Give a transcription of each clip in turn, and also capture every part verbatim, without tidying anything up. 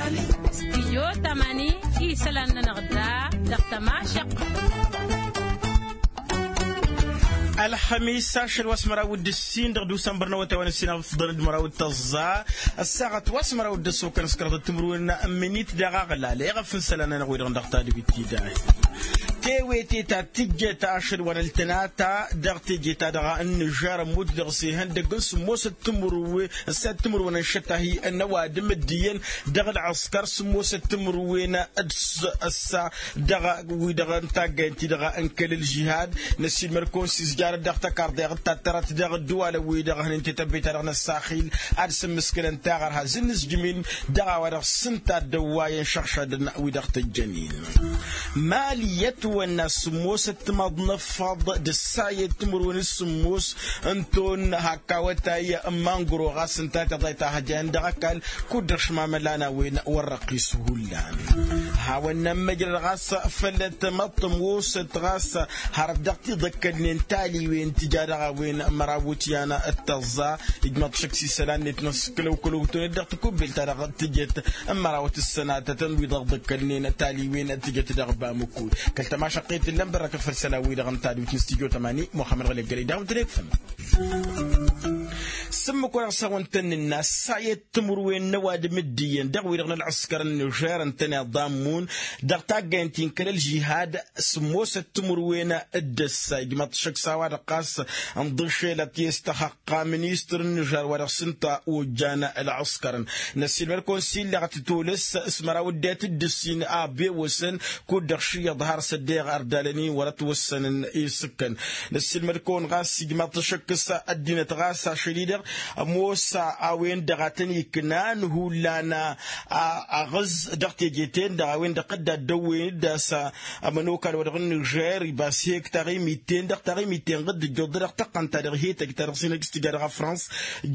Stijyo tamani isălan-nănăɣ da dăɣ-tămašăq. Ălxămis ašăl wa s-măraw d-ǝssin dăɣ-dusănbăr n-awătay wa n-ǝssin afḍăn d-măraw d-tăẓẓa. Ăssaɣăt wa s-măraw d-ăssokăn s-kăraḍăt timǝrwen n-minit daɣ aɣlal eɣăf n-isălan-nănăɣ wi-dăɣ dăɣ-tadbit tidayt. Tewete ta tǝjjet ašăl wa n-ăltănata dăɣ-teje-ta-dăɣ n-nižer ămmut dăɣ-s ihăndăg n-sǝmmosăt timǝrwen ăssayăt timǝrwen n-išăt-ahi n-ăwadǝm d-iyyăn dăɣ-ălɣǝskăr sǝmmosăt timǝrwen d-s ăssa dăɣ-wi-dăɣ n-taggayăn-ti-dăɣ n-kăl-ălžihad. Năssiilmăd-kăwăn s-izjarăt dăɣ-tăkarḍeɣ d-tattărăt dăɣ-ăddăwalăn-wi-dăɣ hănen tetăbbey-ta-dăɣ n-ăssaxil ad-sǝmmǝskǝlăn taɣărha zǝnnǝzjǝm-in dăɣ-a-wa-dăɣ s-ǝnta ăddăwwayăn šăɣšadăn wi-dăɣ tǝjjăn-in. Mali i-ătwănna sǝmmosăt timaḍ n-ăffaḍ d-ăssayăt timǝrwen d-sǝmmos n-ton hak awătay n-mangro ɣas ǝnta tiḍayt a hăjayăn dăɣ-ăkall kud-dăɣ šmamălan a-wen wăr răqqis hullan. Hawăn-nămmăjrăd ɣas făll-ătmăḍt ămoosăt ɣas hărăt dăɣ-tiḍăkkălnen taliwen tǝja dăɣ-a-wen măraw iwǝtyan d-tăẓẓa. Ijmăḍ šăkk s-isălan-net n-ăskălăw kălăwtăwnet dăɣ-tikubbelt-ta-dăɣ tǝjăt n-mărawăt ǝssănatătăn wi dăɣ-ḍăkkălnen taliwen tǝjăt dăɣ-bamăkul. Kăl-tămašăqqet ǝllăn bărrăkăt făll-isălan-wi-dăɣ n-tadwit n-studyo tămani muxămmăd ɣălek gălăy daɣ ǝntănekfăn. S-ǝmmǝk-wa-dăɣ s-hawăn-tăn-nǝnna ăssayăt timǝrwen n-ăwadǝm d-iyyăn dăɣ-wi-dăɣ n-ălɣǝskăr n-nižer ǝntăneḍ d-ammun dăɣ-taggayăn ti n-kăl-ălžihad. Sǝmmosăt timǝrwen d-ăssa ijmăḍ šăkk s-a-wa-dăɣ ɣas ǝnḍǝšelăt i-s-tăxăqqa ministăr n-nižer wa dăɣ-s ǝnta ojjan ălɣǝskărăn. Năssiilmăd-kăwăn s-illăɣ tǝtolăs s-măraw ăddinăt d-ǝssin a bewăsăn kud-dăɣ šǝyyăḍ har s-ăddinăt ărdalăn-in wăr-ătwăssănăn isǝkkăn. Năssiilmăd-kăwăn ɣas ijmăḍ-t ašăkkǝs ăddinăt ɣas ašăl-i-dăɣ ămoos a-wen-dăɣ a tăn-iknan hullan aɣǝz dăɣ-teje-ten-dăɣ a-wen-dăɣ dd-addăwwen-dd a-s ămănokal wa dăɣ-nižer ibas hek taɣimit-ten-dăɣ taɣimit-ten-dăɣ dd-ǝjjuḍ-dăɣ tăqqăn-ta-dăɣ hetăj ta dăɣ-s hin-ăj s-tǝja dăɣ-afrans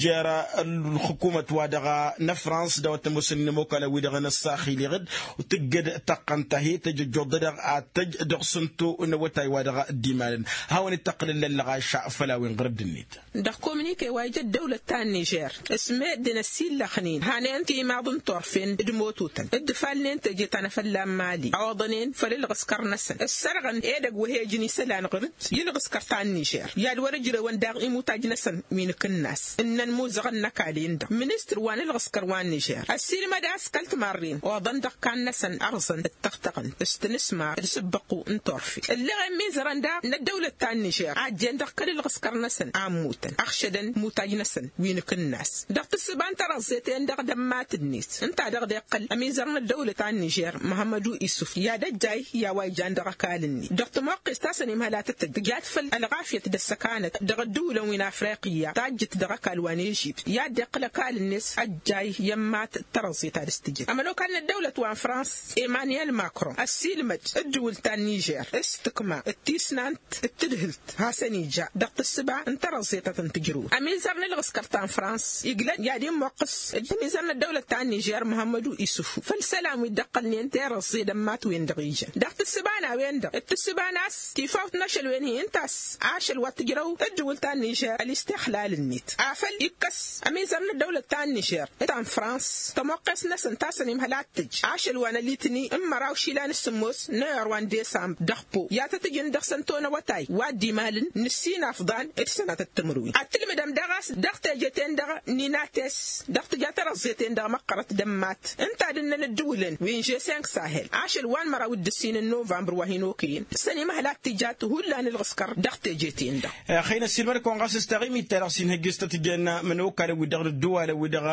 jer-ălxukumăt wa dăɣ-năfrans d-a-wa t-ămoosăn inămokalăn-wi-dăɣ n-ăssaxil iɣǝd. Tǝggăd tăqqăn-ta hetăj ǝjjuḍ-dăɣ ad-tăj dăɣ-sǝnto n-awătay wa dăɣ-dd-imalăn. Hawăn-dd-tăqqǝlăn lăllăɣayša făll-a-wen ɣur-dd-net. Dăɣ-kominike wa ija ăddăwlăt ta n-nižer s-meddǝn ăsillăxnen hanen timaḍ n-turfen d-imotutăn dd-ǝfalnen teje ta n-afălla n-mali oḍănen făll-ǝlɣǝskăr-năsăn ǝssărɣăn edăgg wa he-ǝjǝn isălan ɣur-dd i-ǝlɣǝskăr ta n-nižer i-ad-wăr-ǝjrewăn daɣ imutaj-năsăn wi n-akǝnnas ǝnnăn imuzăɣăn n-ăkall-en-dăɣ ministăr wa n-ǝlɣǝskăr wa n-nižer ăssiilmăd a-s kăl-timarren oḍăn dăɣ-kan-năsăn ărẓăn d-tăɣtăɣăn s-tinǝsmar d-isǝbbăqu n-turfe ǝlleɣ i-imizărăn daɣ n-ăddăwlăt ta n-nižer a ăjjeen dăɣ-kăl-ǝlɣǝskăr-năsăn a ămmutăn ăxšădăn imutaj-năsăn wi n-akǝnnas dăɣ-tǝssǝba n-tărăẓẓet-en-dăɣ d-ămmat-net ǝnta a dăɣ-dd-iqqăl ămizăr n-ăddăwlăt ta n-nižer muhămmădu isuf i-ad-ăjjay i-a-wa ijan dăɣ-ăkall-net dăɣ-timoqqest ta s-ănimhăl ad-tǝtǝj tǝjat făll-ălɣafyăt d-ăssăkanăt dăɣ-ădduulăn wi n-afriqya tajjǝt dăɣ-ăkall wa n-ežipt i-ad-dd-iqqǝl ăkall-net ăjjay i-ămmat d-tărăẓẓet a dăɣ-s tǝjǝt ămănokal n-ăddăwlăt wa n-frans emmanuel macron ăssiilmăd ǝddǝwǝl ta n-nižer s-tǝkma d-tisnant d-tǝdhǝlt hasăn-ija dăɣ-tǝssǝba n-tărăẓẓet a tăn-tǝjrǝwăt ămizăr n-ǝlɣǝskăr ta n-frans iglăn i-ad-immoqqǝs d-ămizăr n-ăddăwlăt ta n-nižer muhămmădu isǝfu făll-isălan wi dd-ăqqălnen terăẓẓe d-ămmat-wen-dăɣ ijăn dăɣ-tǝssǝba n-a-wen-dăɣ d-tǝssǝba n-a-s tifawt n-ašăl-wen-hi ǝnta a-s ašăl wa t-tǝjrăw ǝddǝwǝl ta n-nižer ălistixlal-net afăl ikkăs ămizăr n-ăddăwlăt ta n-nižer d-ta n-frans tămoqqes-năsăn ta s-ănimhăl ad-tǝj ašăl wa n-alitni n-măraw išilan s-sǝmmos n-ayăr wa n-desambr dăɣ-po i-ad-tăt-ǝjǝn dăɣ-săn tonăwătay wa dd-imalăn n-ǝssin afḍan d-sănatăt timǝrwen ad-tǝlmǝdăm daɣ a-s dăɣ-teje-ten-dăɣ n-inates dăɣ-tǝja tărăẓẓe-ten-dăɣ măqqărăt d-ămmat ǝnta ad-ǝnnăn ǝddǝwǝlăn wi n-žesenk sahel ašăl wa n-măraw d-ǝssin n-novămbăr wa hin-okăyăn s-ănimăhăl ad-tǝjat hullan ǝlɣǝskăr dăɣ-teje-ten-dăɣ. Ăxăyăn ăssiilmăd-kăwăn ɣas s-taɣimit-ta-dăɣ s-inhăjjăs tăt-jen ămănokal wi-dăɣ n-ăddăwalăn wi-dăɣ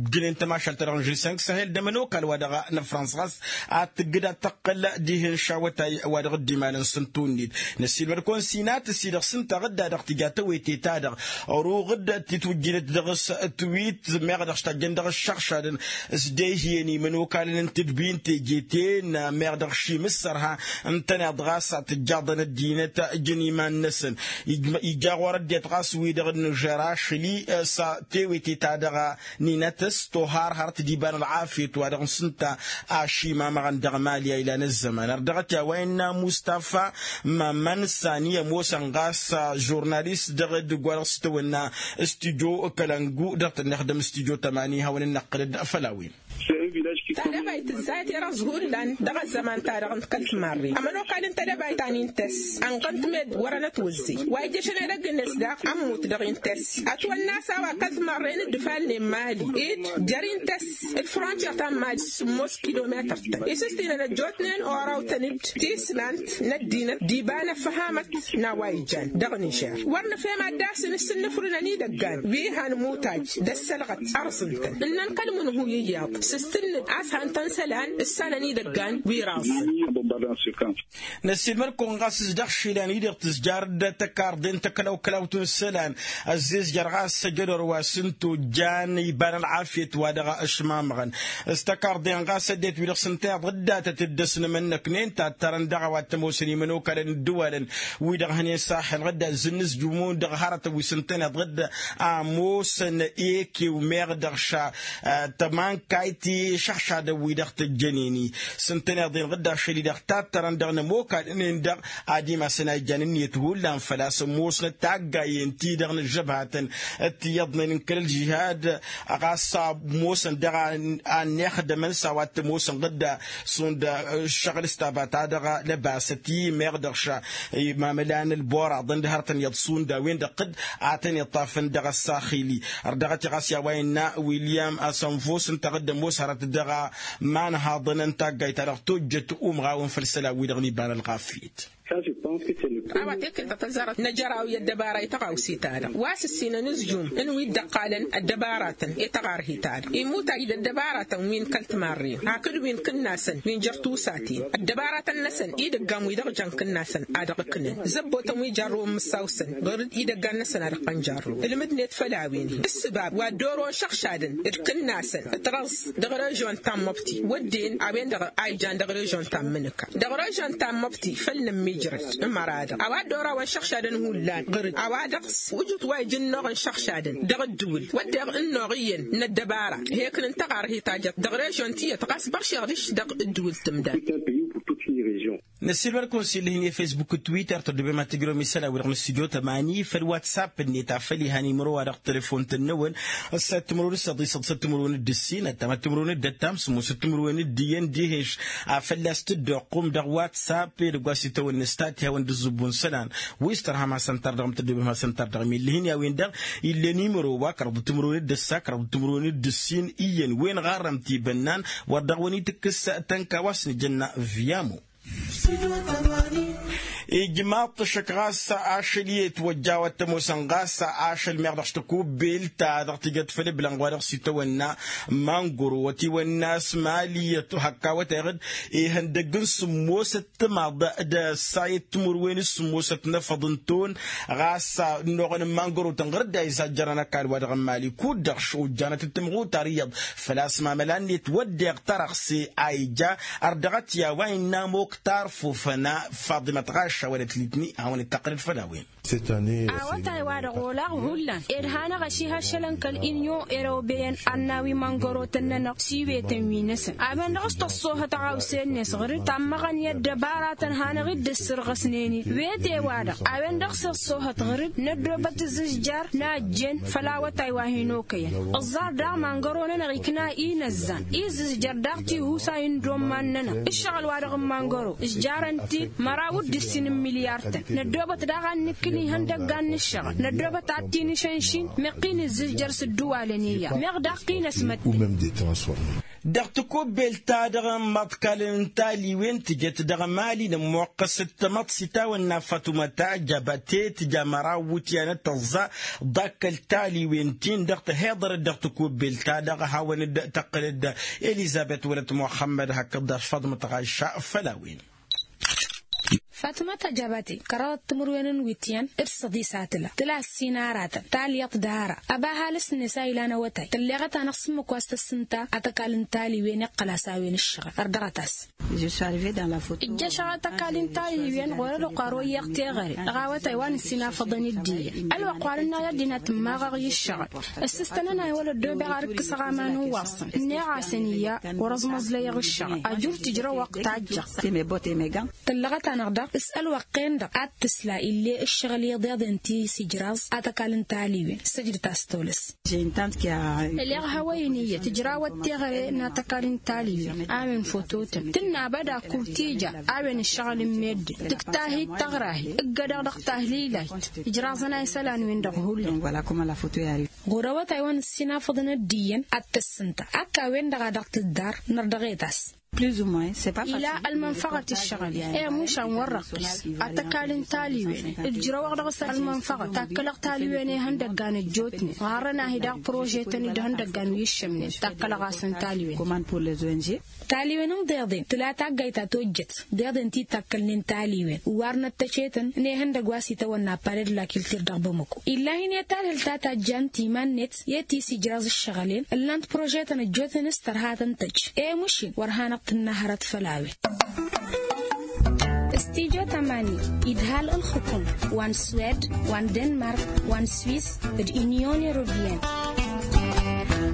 ǝjjǝnen tămašalt-ta-dăɣ n-žesenk sahel d-ămănokal wa dăɣ-năfrans ɣas ad-tǝggǝd ad-tăqqǝl dihen šawătay wa dăɣ-dd-imalăn s-ǝntu-net. Năssiilmăd-kăwăn s-inatăs-i-dăɣ s-ǝnta ɣǝdda-dăɣ tǝja tawete-ta-dăɣ ăruɣ-dd titwǝjjǝnet dăɣ-s twit meɣ dăɣ-s tajjăn dăɣ-ǝššăɣšadăn s-dd-e-ihiyăn imănokalăn n-tǝdbi n-teje-ten meɣ dăɣ-šimǝssărha ǝntăneḍ ɣas tǝjjaḍăn ăddinăt ǝjǝn iman-năsăn. Ija ɣur-ăddinăt ɣas wi-dăɣ n-nižer ašăl-i s-tewete-ta-dăɣ n-inatăs toharhărt d-iba n-ălɣafyăt wa dăɣ-s ǝnta ašimamăɣăn dăɣ-mali a ilan ăzzăman ar dăɣ-t i-a-wa innă mustafa mamăn sani ămoosăn ɣas žurnalist dăɣ-edăgg wa dăɣ-s tăwănna stujo kălăngu dăɣ-tăn-ixdăm stujo tămani hawăn-in-năqqǝlăd făll-a-wen. S-e-villaj. Tadăbayt tǝzzayăt i-răẓ hullan dăɣ-ăzzăman-ta-dăɣ n-kăl-timarre ămănokal n-tadăbayt ta n-intes ănɣănt med wărăn ătwǝzzey wa ijjăšăn edăgg-net daɣ ămmut dăɣ-intes. Ătwănna a-s a-wa kăl-timarre n-dd-ifalnen mali-dd jer-intes d-frontier ta n-mali sǝmmos kilometăr-tăn isǝstinăn ăjjootnen oraw-tăn-dd tisnant n-ăddinăt d-iba n-ăffăhamăt n-a-wa ijan dăɣ-nižer wăr nǝfhem ad-dd-asǝn s-ǝnnǝfrǝnăn idăggan wi han mutaj d-ăssălɣăt ărẓǝn-tăn ǝnnăn kăl-imǝnhu iyyăḍ s-tǝnnǝd a-s han-tăn isălan ǝssanăn idăggan wi raẓẓăn. Năssiilmăd-kăwăn ɣas s-dăɣ-išilan-i-dăɣ tǝzjar d-tăkarḍe n-tăklawklawt n-isălan ăzzezjăr ɣas ăjădor wa s-ǝnta ojjan iba n-ălɣafyăt wa dăɣ-ăšmamăɣăn s-tăkarḍe-n ɣas ăddinăt wi-dăɣ s-ǝnta iyyăḍ dd-datăt dd-ăsnămănnăknen tattărăn dăɣ-a-wa t-ămoosăn imănokalăn ǝddǝwalăn wi-dăɣ hănen saxel ɣǝdda zǝnnǝzjǝmon dăɣ-hărătăn wi s-ǝntăneḍ ɣǝdda ămoosăn ekew meɣ dăɣ-ša tămankayt išăḥšadăn wi-dăɣ tăjjănen-i s-ǝntăneḍ-en ɣǝdda ašăl-i-dăɣ tattărăn dăɣ-nămokalăn-en-dăɣ ad-imasăn a ijjan ǝnniyăt hullan făl-a-s ămoosnăt taggayen-ti-dăɣ n-ăžžăbhatăn d-tiyyăḍnen n-kăl-ălžihad ɣas a ămoosăn dăɣ-a ănnixdămăn s-a-wa t-ămoosăn ɣǝdda šund ǝššăɣǝl s-taba-ta-dăɣ lăbasăt-i meɣ dăɣ-ša imamălan ălboraḍăn d-hărătăn iyyăḍ šund a-wen-dăɣ ad-tăn-iṭṭafăn dăɣ-ăssaxil-i. Ărdăɣăt-i ɣas i-a-wa innă william asănfos ǝnta ɣǝdda ămoos hărăt dăɣ-imanhaḍăn n-taggayt-ta-dăɣ tojjăt umɣawăn făll-isălan-wi-dăɣ n-iba n-ălɣafyăt. A-wa tekǝlt a tăzzarăt n-ajăraw i-ăddăbara i-tăɣawse-ta-dăɣ wa s-ǝssinăn ǝzjum n-wi dd-ăqqalăn ăddăbaratăn i-tăɣarhi-ta-dăɣ imutaj d-ăddăbaratăn wi n-kăl-timarren hakd wi n-kǝnnasăn wi n-jer-tusaten ăddăbaratăn-năsăn idăggan wi dăɣ-jăn kǝnnasăn a dăɣ-ǝknăn zăbbotăn wi jarrăwăn mǝssaw-săn ɣur-dd idăggan-năsăn a dăɣ-tăn jarrăwăn ǝlmǝdnet făll-a-wen-hi ǝssǝbab wa dd-orăwăn šăɣšadăn d-kǝnnasăn d-tărăẓ dăɣ-režion ta n-măbti wădden a-wen-dăɣ a ijan dăɣ-režion ta n-mǝnǝka dăɣ-režion ta n-măbti făll-nămmijrăd ămăra-dăɣ a-wa dd-orăwăn šăɣšadăn hullan ɣur-dd a-wa dăɣ-s ujǝt wa ijǝnnoɣăn šăɣšadăn dăɣ-ǝddǝwǝl wădden ǝnnoɣ iyyăn n-ăddăbara heknăn tăɣarhi tajăt dăɣ-režion tiyyăt ɣas băršeɣ dăɣ-s dăɣ-ǝddǝwǝl tǝmdan. Năssiilmăd-kăwăn s-illăh hin-i-fesbuk d-twitter tăddobem ad-tǝjrăwăm isălan-wi-dăɣ n-studyo tămani făll-whatsapp-net afăl ihan imăro-wa-dăɣ telefon-tăn-năwăn ǝssa timǝrwen d-săḍisăḍ s-timǝrwen d-ǝssin ăttam timǝrwen d-ăttam sǝmmos timǝrwen d-iyyăn d-iheš. Afăl a-s tǝddoqqum dăɣ-whatsapp edăgg wa s-itawănna s-tat ihawăn d-ǝzzǝbbu n-isălan wi s-tărham hasăn-tar dăɣ-m tăddobem hasăn-tar dăɣ-m illăh hin-i-a-wen-dăɣ ill'-en imăro wa kărăḍ timǝrwen d-ǝssa kărăḍ timǝrwen d-ǝssin iyyăn wen ɣarrăm tibănnan wăr dăɣ-wăn-itǝkkǝs tănka wa s-nǝjănna. Viyamo ijmaḍ-t ăššăk ɣas ašăl i-ătwăjja wa t-ămoosăn ɣas ašăl meɣ dăɣ-s tăkubbelt ta dăɣ-tijăt făll-ǝblănɣ wa dăɣ-s itawănna mangoro wa t-iwănnas mali ătwăhăkka wătay ɣǝd ihăndăgg n-sǝmmosăt timaḍ d-ăssayăt timǝrwen s-sǝmmosăt n-efăḍ n-ton ɣas ănnuɣăn n-mangoro-tăn ɣur-dd a izajjărăn ăkall wa dăɣ-n mali kud-dăɣ šojjanăt d-timɣutar iyyăḍ. Făl-a-s mamăla-net wădden tărăɣse a ija ărdăɣăt i-a-wa innă amoktar fufăna faḍimăt ɣašša wăla t-litni hawăn-dd-tăqqǝlăd făll-a-wen. Awătay-wa-dăɣ olaɣ hullan ed hanăɣ-ăšihăššălăn kăl-inyon erobeyen ad-nawi mangărotăn-nănăɣ s-iwetăn wi-năsăn a-wen-dăɣ s-tăṣṣohăt ăɣawse-net ɣur-dd tammăɣăn i-ăddăbaratăn hanăɣ-dd-ăssărɣăsnen-dd wete-wa-dăɣ a-wen-dăɣ s-iṣṣohăt ɣur-dd năddoobăt ǝzzǝzjar n-ajjen făll-awătay wa hin-okăyăn. Ǝẓẓar daɣ mangăro-nănăɣ ikna inăzzan izǝzjăr daɣ tihusay n-dd-omman-nănăɣ ǝššăɣǝl-wa-dăɣ n-mangăro ǝzjarăn-t-dd măraw d-ǝssin n-milyar-tăn. Năddoobăt daɣ ad-nǝkkǝl ihăndăggan n-ǝššăɣǝl năddoobăt ad-t-in-išănšin meɣ t-in-ǝzzǝzjăr s-ǝddǝwalăn i-iyyăḍ meɣ daɣ t-in-ăsmădden. Dăɣ-tikubbelt-ta-dăɣ n-imaḍkalăn n-taliwen tǝjăt dăɣ-emali n-ămmoqqăs d-tamăḍt s-itawănna fatuma tajabate tǝja măraw iwǝtyan d-tăẓẓa ḍakkăl taliwen-tin-dăɣ tăhiḍărăt dăɣ-tikubbelt-ta-dăɣ hawăn-dd-tăqqǝlăd elizăbet wălăt muxămmăd hakd daɣ faḍmăt ɣašša făll-a-wen. Fatmăt ajabate kăraḍăt timǝrwen n-iwǝtyan d-săḍis a tǝla tǝla ăssin aratăn talyaḍt d-ara ăba ăhalǝs-net a ilan awătay tălleɣăt-anăɣ s-ǝmmǝk wa s-tăssǝnta ad-t-ăkall n-taliwen iqqăl-as a-wen ǝššăɣǝl ărdăɣăt-as. Ǝjjăšăɣ ad-t-ăkall n-taliwen ɣur-ălwăqq wa royyeɣ teɣăre dăɣ-awătay wa nǝssin afăḍăn-dd iyyăn ălwăqq wa nǝnna i-ăddinăt ǝmmaɣăɣ i-ǝššăɣǝl ǝssǝstănăn-ay wăla ăddoobeɣ ad-ǝkkǝsăɣ aman n-iwaṣṣăn ǝnneɣ-asăn iyya wăr-ăẓmăẓlăyăɣ ǝššăɣǝl ajur tǝjrăw ăqq tajjăɣ. Tăllăɣăt-anăɣ daɣ S-ălwăqq-en-dăɣ ad-tǝsla ill'-e ǝššăɣǝl iḍeḍen ti s-ijraẓ ad-t-ăkall n-taliwen. Săjdăt-as tolăs. Ăleɣ hawăyăn iyyăt ǝjrawăt teɣăre n-ad-t-ăkall n-taliwen a-wen fototăn tǝnna băda kud-tija. A-wen ǝššăɣǝl n-meddǝn tǝkta-hi d-taɣrahi ǝggădăɣ dăɣ-tahlilayt. Ǝjraẓăn a isălan-wen-dăɣ hullan. Ɣur-awătay wa n-ǝssinafăḍăn ăddiiyyăn ad-t-ăssǝnta akka a-wen-dăɣ a dăɣ-tǝddar nărdăɣetas. Ila ălmănfăɣăt ǝššăɣǝl-i i-mušan wăr răqqis. Ad-t-ăkall n-taliwen ǝjrăwăɣ dăɣ-s ălmănfăɣăt takkălăɣ taliwen ihăndăggan ăjjootnen ɣarrăn-ahi daɣ prožetăn-i d-ihăndăggan wi ǝššămnen takkălăɣ-asăn taliwen. Taliwen n-deḍen tǝla taggayt ta tojjăt deḍen ti takkălnen taliwen warnăt tăcetăn n-ehăndăgg wa s-itawănna paled lakiltir dăɣ-bamăko. Illahi n-e-talhǝlt ta tajjant iman-net i-ti s-ijraẓ ǝššăɣǝl-en ǝllan-t prožetăn ăjjootnen s-tărha tăn-tăjj. E-mušin wăr hanăɣ-tǝnna hărăt făll-a-wen. Stijo tamani idhal ǝlxǝkum wa n-swed wa n-denmark wa n-swis d-inyon europeyăn.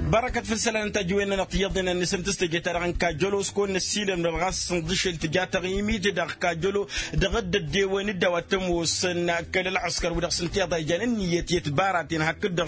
Bărăkăt făll-isălan n-tajǝwen-nănăɣ tiyyăḍnen n-asǝntǝs teje-ta-dăɣ n-kajjălo s-kăwăn-năssiilăm dăɣ-ɣas s-inḍǝšel tǝja taɣimit dăɣ-kajjălo dăɣ-dd-ăddewăn d-a-wa t-ămoosăn kăl-ălɣăskăr wi-dăɣ s-ǝnta iḍa ijan ǝnniyăt i-ătbara-ten hakd-dăɣ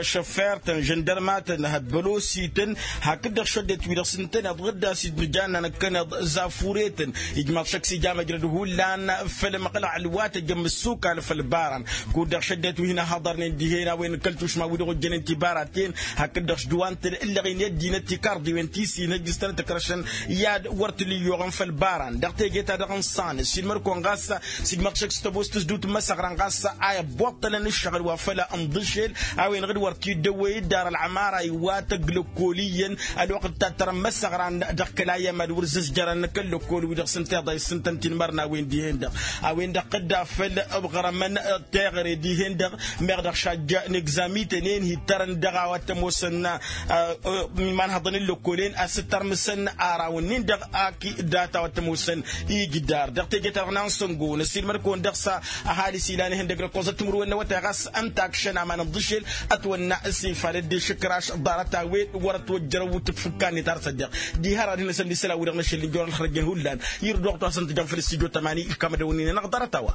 šăffer-tăn žăndărma-tăn hăbbălosităn hakd-dăɣ šăddet wi-dăɣ s-ǝntăneḍ ɣǝdda s-dd-nǝjannanăkkăneḍ zafuretăn. Ijmaḍ šăkk s-ija măjrăd hullan făll-ămăqlăɣ ălwatăj ămmǝssukal făll-baran kud-dăɣ šăddet wi hin-ăhhăḍărnen dihen a-wen n-kăl-tušma wi-dăɣ ojjănen tibaraten hakd-dăɣ s-dăw-antăn ǝllăɣen i-ăddinăt tikarḍiwen ti s-inhăjjǝstănăt ǝkrăšăn i-ad-wăr t-ǝlǝyyoɣăn făll-baran dăɣ-teje-ta-dăɣ n-iṣan s-ilmăd-kăwăn ɣas s-ijmăḍ šăkk s-tăbost s-dut n-imăsăɣra n-ɣas a ibbăṭṭălăn ǝššăɣǝl wa făll-ănḍǝšel a-wen-dăɣ d-wăr t-dd-ăwwey dd-ar ălɣămara iwatăg lăkkol iyyăn ălwăqq d-tattărăn imăsăɣran dăɣ-kăl-ayyăm ad-wăr zǝzjărăn kăl-lăkkol wi-dăɣ s-ǝnta iḍa issǝntăn-t-in imărnawen dihen-dăɣ a-wen-dăɣ tădda făll-ăɣrămăn teɣăre dihen-dăɣ meɣ dăɣ-šajja n-egzamităn-en hi-ǝttărăn dăɣ-a-wa t-ămoosăn imanhăḍăn n-lăkkolen a-s ǝttărmǝsăn arawăn-nin-dăɣ aki data wa t-ămoosăn ijdar dăɣ-teje-ta-dăɣ n-ansăngo năssiilmăd-kăwăn dăɣ-s ăhalǝs ilan ihăndăg d-ăkkoẓăt timǝrwen n-awătay ɣas ǝnta akšăn aman ǝnḍǝšel ătwănna s-ifalăt d-ešǝkraš ḍarăt-a-wen wăr-ătwăjjărăw tǝkfǝkka-net har s-ăddeɣ diha ărad hin-năsăn d-isălan-wi-dăɣ n-ašăl n-ijorăn ălxărăjjăn hullan irduɣ-t wa s-ăntăjăm făll-s tijo tămani ǝlkam ad-ăwǝnnin-anăɣ ḍarăt-a-wa.